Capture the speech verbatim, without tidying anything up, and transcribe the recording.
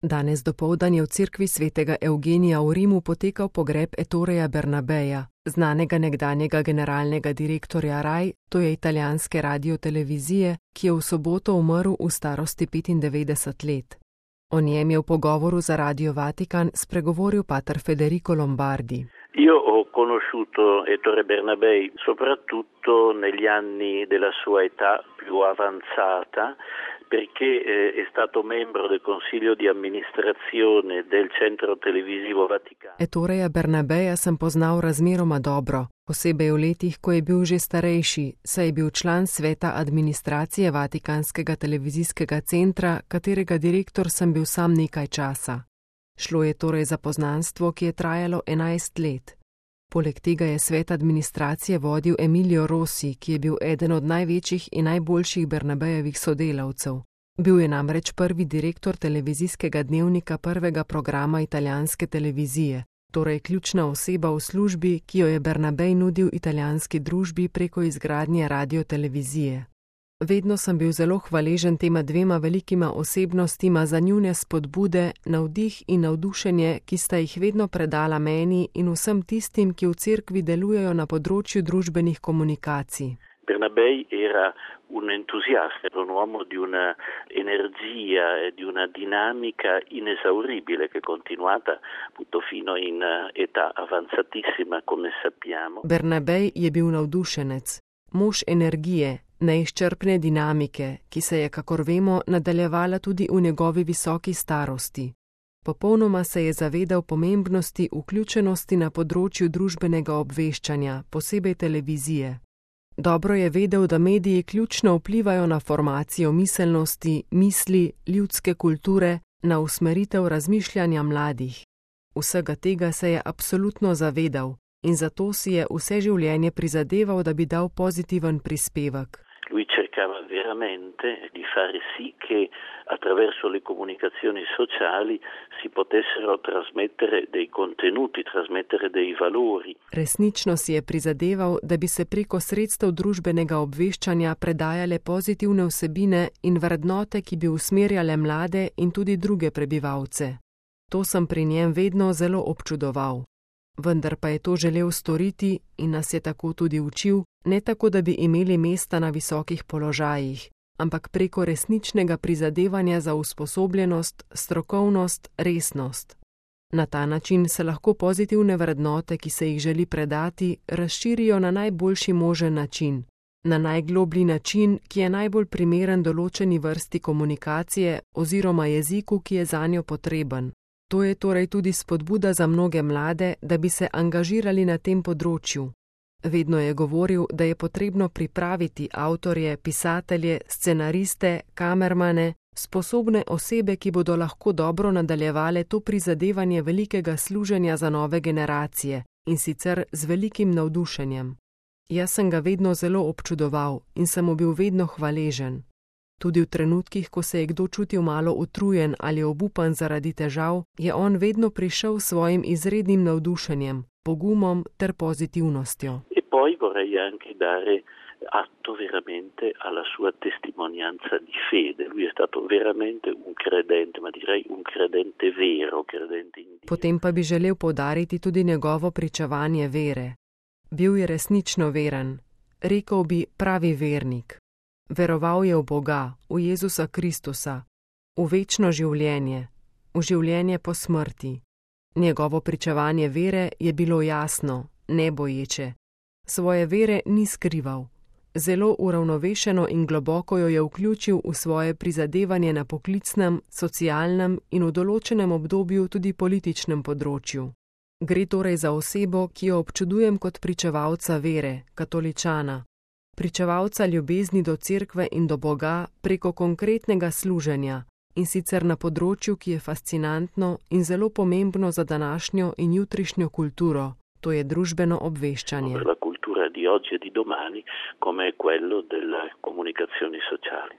Danes dopoldan je v cerkvi svetega Evgenija v Rimu potekal pogreb Ettore Bernabeja, znanega nekdanjega generalnega direktorja R A I, to je italijanske radiotelevizije, ki je v soboto umrl v starosti petindevetdeset let. O njem je v pogovoru za Radio Vatikan spregovoril pater Federico Lombardi. Io ho conosciuto Ettore Bernabei soprattutto negli anni della sua età più avanzata, perché è stato membro del consiglio di amministrazione del centro televisivo Vaticano. Ettoreja Bernabeja sem poznal razmeroma dobro, posebej v letih, ko je bil že starejši, saj je bil član sveta administracije Vatikanskega televizijskega centra, katerega direktor sem bil sam nekaj časa. Šlo je torej za poznanstvo, ki je trajalo enajst let. Poleg tega je svet administracije vodil Emilio Rossi, ki je bil eden od največjih in najboljših Bernabejevih sodelavcev. Bil je namreč prvi direktor televizijskega dnevnika prvega programa italijanske televizije, torej ključna oseba v službi, ki jo je Bernabej nudil italijanski družbi preko izgradnje radiotelevizije. Vedno sem bil zelo hvaležen tema dvema velikima osebnostima za njune spodbude, navdih in navdušenje, ki sta jih vedno predala meni in vsem tistim, ki v cerkvi delujejo na področju družbenih komunikacij. Bernabei era un entusiasta, era un uomo di una energia e di una dinamica inesauribile che è continuata appunto fino in età avanzatissima, come sappiamo. Bernabei je bil navdušenec, mož energije, neizčrpne dinamike, ki se je, kakor vemo, nadaljevala tudi v njegovi visoki starosti. Popolnoma se je zavedal pomembnosti vključenosti na področju družbenega obveščanja, posebej televizije. Dobro je vedel, da mediji ključno vplivajo na formacijo miselnosti, misli, ljudske kulture, na usmeritev razmišljanja mladih. Vsega tega se je absolutno zavedal in zato si je vse življenje prizadeval, da bi dal pozitiven prispevek. Lui cercava veramente di fare sì che attraverso le comunicazioni sociali si potessero trasmettere dei contenuti, trasmettere dei valori. Resnično si je prizadeval, da bi se preko sredstev družbenega obveščanja predajale pozitivne vsebine in vrednote, ki bi usmerjale mlade in tudi druge prebivalce. To sem pri njem vedno zelo občudoval. Vendar pa je to želel storiti in nas je tako tudi učil, ne tako, da bi imeli mesta na visokih položajih, ampak preko resničnega prizadevanja za usposobljenost, strokovnost, resnost. Na ta način se lahko pozitivne vrednote, ki se jih želi predati, razširijo na najboljši možen način, na najgloblji način, ki je najbolj primeren določeni vrsti komunikacije oziroma jeziku, ki je zanjo potreben. To je torej tudi spodbuda za mnoge mlade, da bi se angažirali na tem področju. Vedno je govoril, da je potrebno pripraviti avtorje, pisatelje, scenariste, kamermane, sposobne osebe, ki bodo lahko dobro nadaljevale to prizadevanje velikega služenja za nove generacije, in sicer z velikim navdušenjem. Jaz sem ga vedno zelo občudoval in sem mu bil vedno hvaležen. Tudi v trenutkih, ko se je kdo čutil malo utrujen ali obupan zaradi težav, je on vedno prišel s svojim izrednim navdušenjem, pogumom ter pozitivnostjo. E poi vorrei anche dare atto veramente alla sua testimonianza di fede. Lui è stato veramente un credente, ma direi un credente vero, credente in Dio. Potem pa bi želel poudariti tudi njegovo pričevanje vere. Bil je resnično veren, rekel bi pravi vernik. Veroval je v Boga, v Jezusa Kristusa, v večno življenje, v življenje po smrti. Njegovo pričevanje vere je bilo jasno, neboječe. Svoje vere ni skrival. Zelo uravnovešeno in globoko jo je vključil v svoje prizadevanje na poklicnem, socialnem in v določenem obdobju tudi političnem področju. Gre torej za osebo, ki jo občudujem kot pričevalca vere, katoličana. Pričevalca ljubezni do cerkve in do Boga preko konkretnega služenja, in sicer na področju, ki je fascinantno in zelo pomembno za današnjo in jutrišnjo kulturo, to je družbeno obveščanje. La cultura di oggi e di domani, come è quello delle comunicazioni sociali.